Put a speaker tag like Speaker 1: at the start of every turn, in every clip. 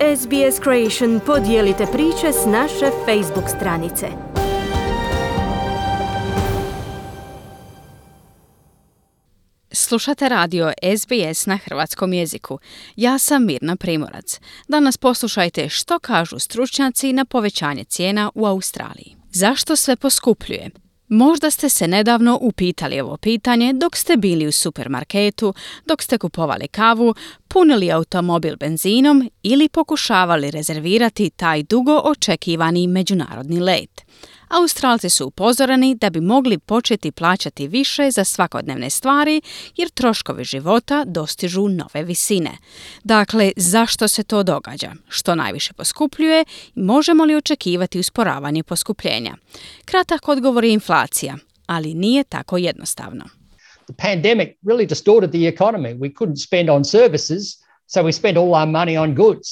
Speaker 1: SBS Creation podijelite priče s naše Facebook stranice.
Speaker 2: Slušate radio SBS na hrvatskom jeziku. Ja sam Mirna Primorac. Danas poslušajte što kažu stručnjaci na povećanje cijena u Australiji. Zašto sve poskupljuje? Možda ste se nedavno upitali ovo pitanje dok ste bili u supermarketu, dok ste kupovali kavu, punili automobil benzinom ili pokušavali rezervirati taj dugo očekivani međunarodni let. Australci su upozoreni da bi mogli početi plaćati više za svakodnevne stvari jer troškovi života dostižu nove visine. Dakle, zašto se to događa? Što najviše poskupljuje? Možemo li očekivati usporavanje poskupljenja? Kratak odgovor je inflacija, ali nije tako jednostavno.
Speaker 3: The pandemic really distorted the economy. We couldn't spend on services, so we spent all our money on goods.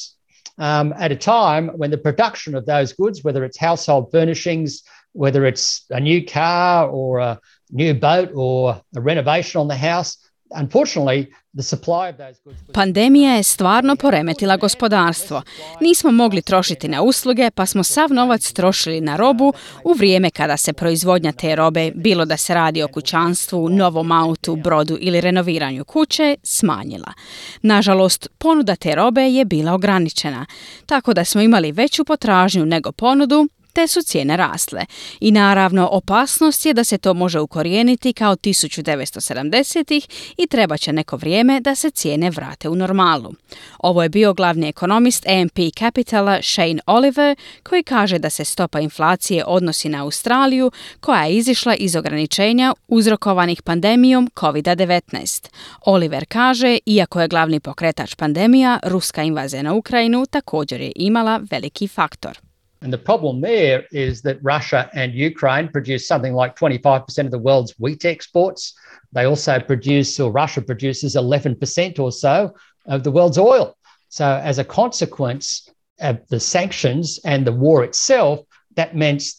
Speaker 3: At a time when the production of those goods, whether it's household furnishings, whether it's a new car or a new boat or a renovation on the house, unfortunately, the supply of those goods...
Speaker 2: Pandemija je stvarno poremetila gospodarstvo. Nismo mogli trošiti na usluge, pa smo sav novac trošili na robu u vrijeme kada se proizvodnja te robe, bilo da se radi o kućanstvu, novom autu, brodu ili renoviranju kuće, smanjila. Nažalost, ponuda te robe je bila ograničena, tako da smo imali veću potražnju nego ponudu, te su cijene rasle. I naravno, opasnost je da se to može ukorijeniti kao 1970-ih i treba će neko vrijeme da se cijene vrate u normalu. Ovo je bio glavni ekonomist AMP Capitala Shane Oliver, koji kaže da se stopa inflacije odnosi na Australiju, koja je izišla iz ograničenja uzrokovanih pandemijom COVID-19. Oliver kaže, iako je glavni pokretač pandemija, ruska invazija na Ukrajinu također je imala veliki faktor.
Speaker 3: And the problem there is that Russia and Ukraine produce something like 25% of the world's wheat exports. They also produce, or Russia produces 11% or so of the world's oil. So as a consequence of the sanctions and the war itself, that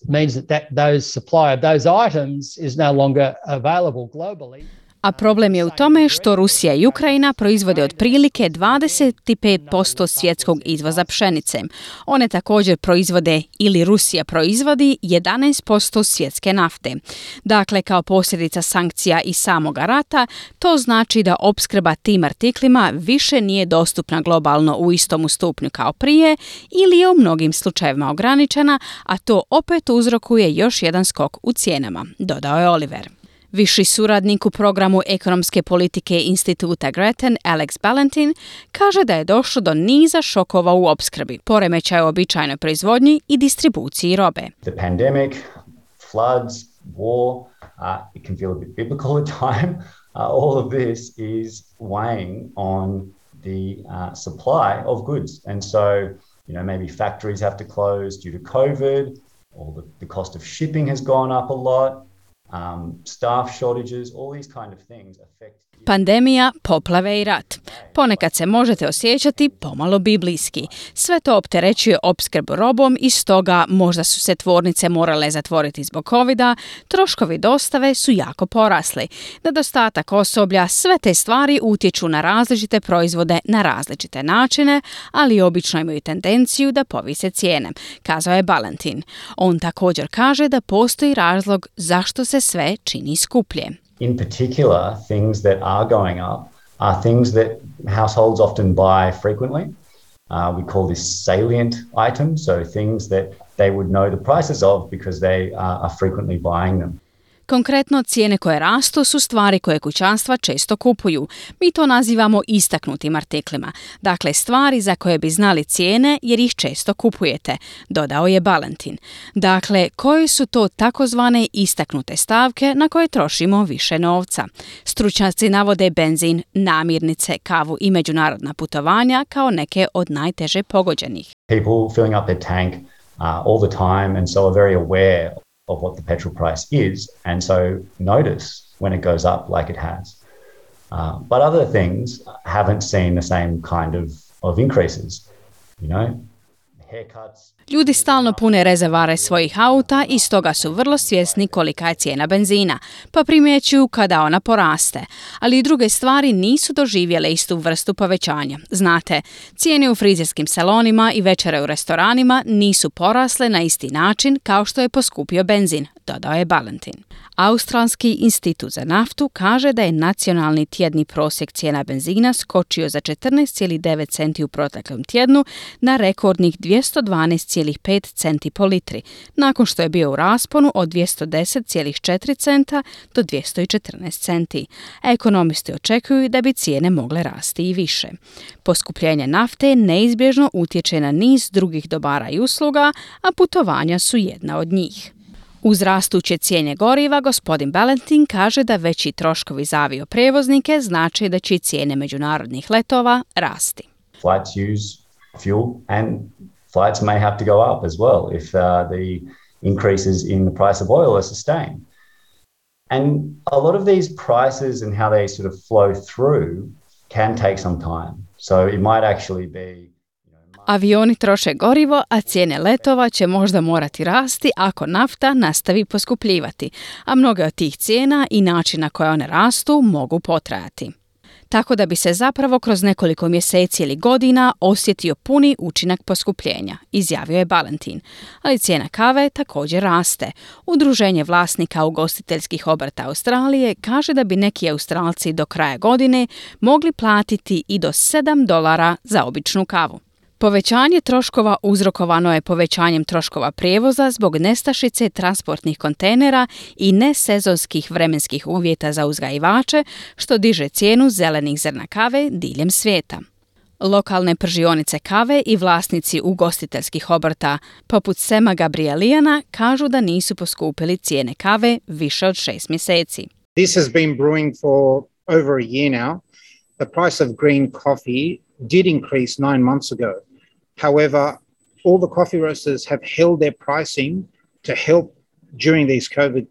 Speaker 3: means that those supply of those items is no longer available globally.
Speaker 2: A problem je u tome što Rusija i Ukrajina proizvode otprilike 25% svjetskog izvoza pšenice. One također proizvode ili Rusija proizvodi 11% svjetske nafte. Dakle, kao posljedica sankcija i samoga rata, to znači da opskrba tim artiklima više nije dostupna globalno u istom stupnju kao prije ili je u mnogim slučajevima ograničena, a to opet uzrokuje još jedan skok u cijenama, dodao je Oliver. Viši suradnik u programu ekonomske politike instituta Grattan, Alex Ballantyne, kaže da je došlo do niza šokova u opskrbi, poremećaja u običajnoj proizvodnji i distribuciji robe.
Speaker 4: The pandemic, floods, war, it can feel a bit biblical at time. All of this is weighing on the supply of goods. And so, maybe factories have to close due to COVID, or the cost of shipping has gone up a lot. Staff shortages, all these kind of things affect...
Speaker 2: Pandemija, poplave i rat. Ponekad se možete osjećati pomalo biblijski. Sve to opterećuje opskrbu robom i stoga možda su se tvornice morale zatvoriti zbog covida, troškovi dostave su jako porasli. Nedostatak osoblja, sve te stvari utječu na različite proizvode na različite načine, ali obično imaju tendenciju da povise cijene, kazao je Ballantyne. On također kaže da postoji razlog zašto se sve čini skuplje.
Speaker 4: In particular, things that are going up are things that households often buy frequently. We call this salient items, so things that they would know the prices of because they are frequently buying them.
Speaker 2: Konkretno, cijene koje rastu su stvari koje kućanstva često kupuju. Mi to nazivamo istaknutim artiklima. Dakle, stvari za koje bi znali cijene jer ih često kupujete, dodao je Ballantyne. Dakle, koje su to takozvane istaknute stavke na koje trošimo više novca? Stručnjaci navode benzin, namirnice, kavu i međunarodna putovanja kao neke od najteže pogođenih.
Speaker 4: People filling up their tank all the time and so are very aware of what the petrol price is, and so notice when it goes up like it has. But other things haven't seen the same kind of increases. haircuts.
Speaker 2: Ljudi stalno pune rezervare svojih auta i stoga su vrlo svjesni kolika je cijena benzina, pa primjećuju kada ona poraste. Ali i druge stvari nisu doživjele istu vrstu povećanja. Znate, cijene u frizerskim salonima i večere u restoranima nisu porasle na isti način kao što je poskupio benzin, dodao je Balentin. Australski institut za naftu kaže da je nacionalni tjedni prosjek cijena benzina skočio za 14,9 centi u proteklom tjednu na rekordnih 212,5 centi po litri, nakon što je bio u rasponu od 210,4 centa do 214 centi. Ekonomisti očekuju da bi cijene mogle rasti i više. Poskupljenje nafte neizbježno utječe na niz drugih dobara i usluga, a putovanja su jedna od njih. Uz rastuće cijene goriva, gospodin Balentin kaže da veći troškovi za avioprijevoznike znači da će cijene međunarodnih letova rasti.
Speaker 4: Flights use fuel and flights may have to go up as well if the increases in the price of oil are sustained. And a lot of these prices and how they sort of flow through can take some time. So it might actually be
Speaker 2: Avioni troše gorivo, a cijene letova će možda morati rasti ako nafta nastavi poskupljivati, a mnoge od tih cijena i način na koje one rastu mogu potrajati. Tako da bi se zapravo kroz nekoliko mjeseci ili godina osjetio puni učinak poskupljenja, izjavio je Balentin. Ali cijena kave također raste. Udruženje vlasnika ugostiteljskih obrta Australije kaže da bi neki Australci do kraja godine mogli platiti i do $7 za običnu kavu. Povećanje troškova uzrokovano je povećanjem troškova prijevoza zbog nestašice transportnih kontejnera i nesezonskih vremenskih uvjeta za uzgajivače, što diže cijenu zelenih zrna kave diljem svijeta. Lokalne pržionice kave i vlasnici ugostiteljskih obrta, poput Sema Gabrielijana, kažu da nisu poskupili cijene kave više od 6 mjeseci.
Speaker 5: This has been brewing for over a year now. The price of green coffee did increase 9 months ago. However, all the coffee roasters have held their pricing to help during this COVID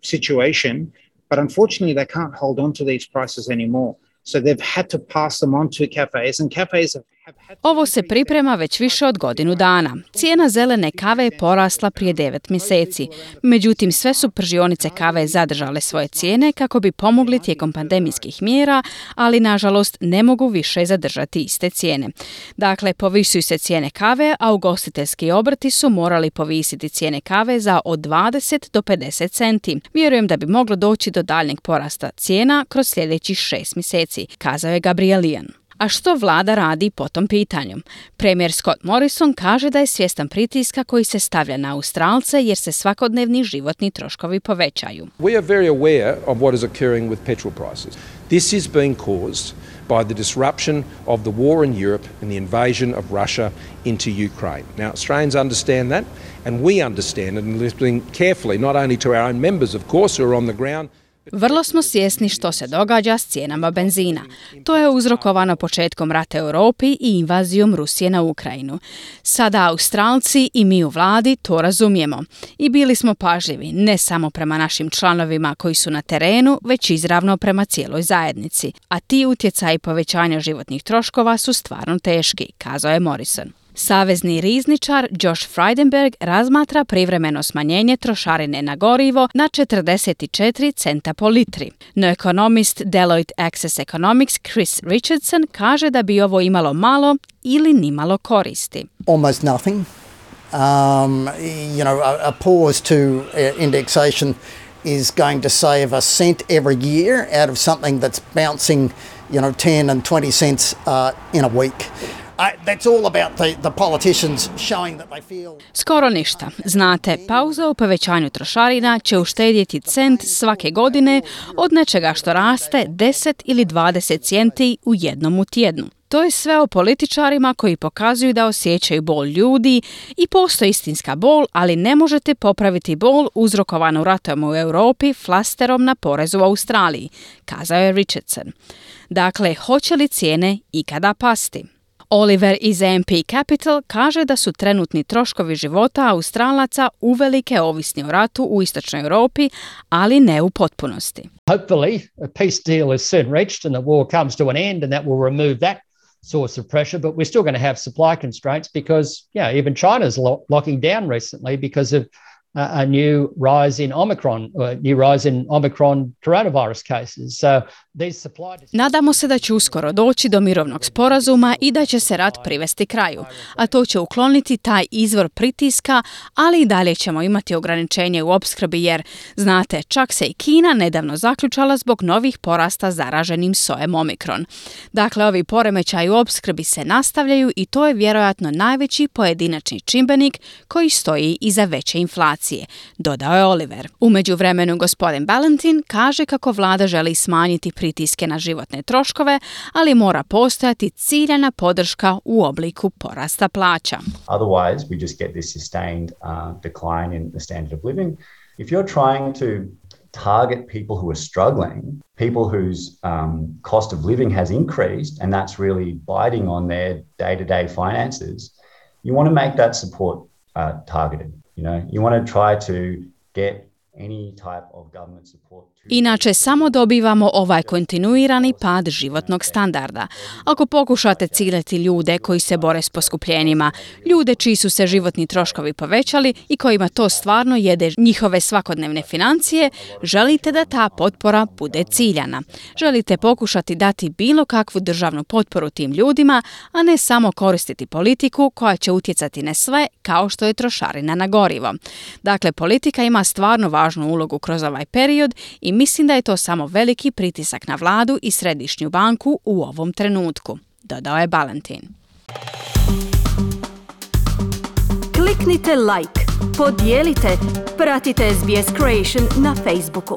Speaker 5: situation, but unfortunately they can't hold on to these prices anymore. So they've had to pass them on to cafes, and cafes have had to...
Speaker 2: Ovo se priprema već više od godinu dana. Cijena zelene kave je porasla prije 9 mjeseci. Međutim, sve su pržionice kave zadržale svoje cijene kako bi pomogli tijekom pandemijskih mjera, ali nažalost ne mogu više zadržati iste cijene. Dakle, povisuju se cijene kave, a ugostiteljski obrti su morali povisiti cijene kave za od 20 do 50 centi. Vjerujem da bi moglo doći do daljnjeg porasta cijena kroz sljedećih 6 mjeseci, kazao je Gabrielijan. A što vlada radi po tom pitanju? Premijer Scott Morrison kaže da je svjestan pritiska koji se stavlja na Australce jer se svakodnevni životni troškovi povećaju.
Speaker 6: We are very aware of what is occurring with petrol prices. This is being caused by the disruption of the war in Europe and the invasion of Russia into Ukraine. Now, Australians understand that, and we understand it, and listening carefully, not only to our own members, of course, who are on the ground.
Speaker 2: Vrlo smo svjesni što se događa s cijenama benzina. To je uzrokovano početkom rata u Europi i invazijom Rusije na Ukrajinu. Sada Australci i mi u vladi to razumijemo. I bili smo pažljivi, ne samo prema našim članovima koji su na terenu, već izravno prema cijeloj zajednici. A ti utjecaji povećanja životnih troškova su stvarno teški, kazao je Morrison. Savezni rizničar Josh Frydenberg razmatra privremeno smanjenje trošarine na gorivo na 44 centa po litri. No ekonomist Deloitte Access Economics Chris Richardson kaže da bi ovo imalo malo ili nimalo koristi.
Speaker 7: Almost nothing. A pause to indexation is going to save a cent every year out of something that's bouncing, 10 and 20 cents in a week. That's all about the politicians showing that they feel...
Speaker 2: Skoro ništa. Znate, pauza u povećanju trošarina će uštedjeti cent svake godine od nečega što raste 10 ili 20 centi u jednom tjednu. To je sve o političarima koji pokazuju da osjećaju bol ljudi i postoji istinska bol, ali ne možete popraviti bol uzrokovanu ratom u Europi flasterom na porezu u Australiji, kazao je Richardson. Dakle, hoće li cijene ikada pasti? Oliver iz AMP Capital kaže da su trenutni troškovi života Australaca uvelike ovisni o ratu u istočnoj Europi, ali ne u potpunosti.
Speaker 3: Hopefully, a peace deal is soon reached and the war comes to an end and that will remove that source of pressure, but we're still going to have supply constraints because, even China's locking down recently because of a new rise in Omicron coronavirus cases. So these supply...
Speaker 2: Nadamo se da će uskoro doći do mirovnog sporazuma i da će se rat privesti kraju, a to će ukloniti taj izvor pritiska, ali i dalje ćemo imati ograničenje u opskrbi jer, znate, čak se i Kina nedavno zaključala zbog novih porasta zaraženim sojem Omikron. Dakle, ovi poremećaji u opskrbi se nastavljaju i to je vjerojatno najveći pojedinačni čimbenik koji stoji iza veće inflacije, dodao je Oliver. U međuvremenu gospodin Ballantyne kaže kako vlada želi smanjiti pritiske na životne troškove, ali mora postojati ciljana podrška u obliku porasta plaća.
Speaker 4: Otherwise, we just get this sustained decline in the standard of living. If you're trying to target people who are struggling, people whose cost of living has increased, and that's really biting on their day-to-day finances, you want to make that support targeted. You want to try to get any type of government support.
Speaker 2: Inače, samo dobivamo ovaj kontinuirani pad životnog standarda. Ako pokušate ciljati ljude koji se bore s poskupljenjima, ljude čiji su se životni troškovi povećali i kojima to stvarno jede njihove svakodnevne financije, želite da ta potpora bude ciljana. Želite pokušati dati bilo kakvu državnu potporu tim ljudima, a ne samo koristiti politiku koja će utjecati na sve kao što je trošarina na gorivo. Dakle, politika ima stvarno važnu ulogu kroz ovaj period i mislim da je to samo veliki pritisak na vladu i središnju banku u ovom trenutku, dodao je Ballantyne.
Speaker 1: Kliknite like, podijelite, pratite SBS Creation na Facebooku.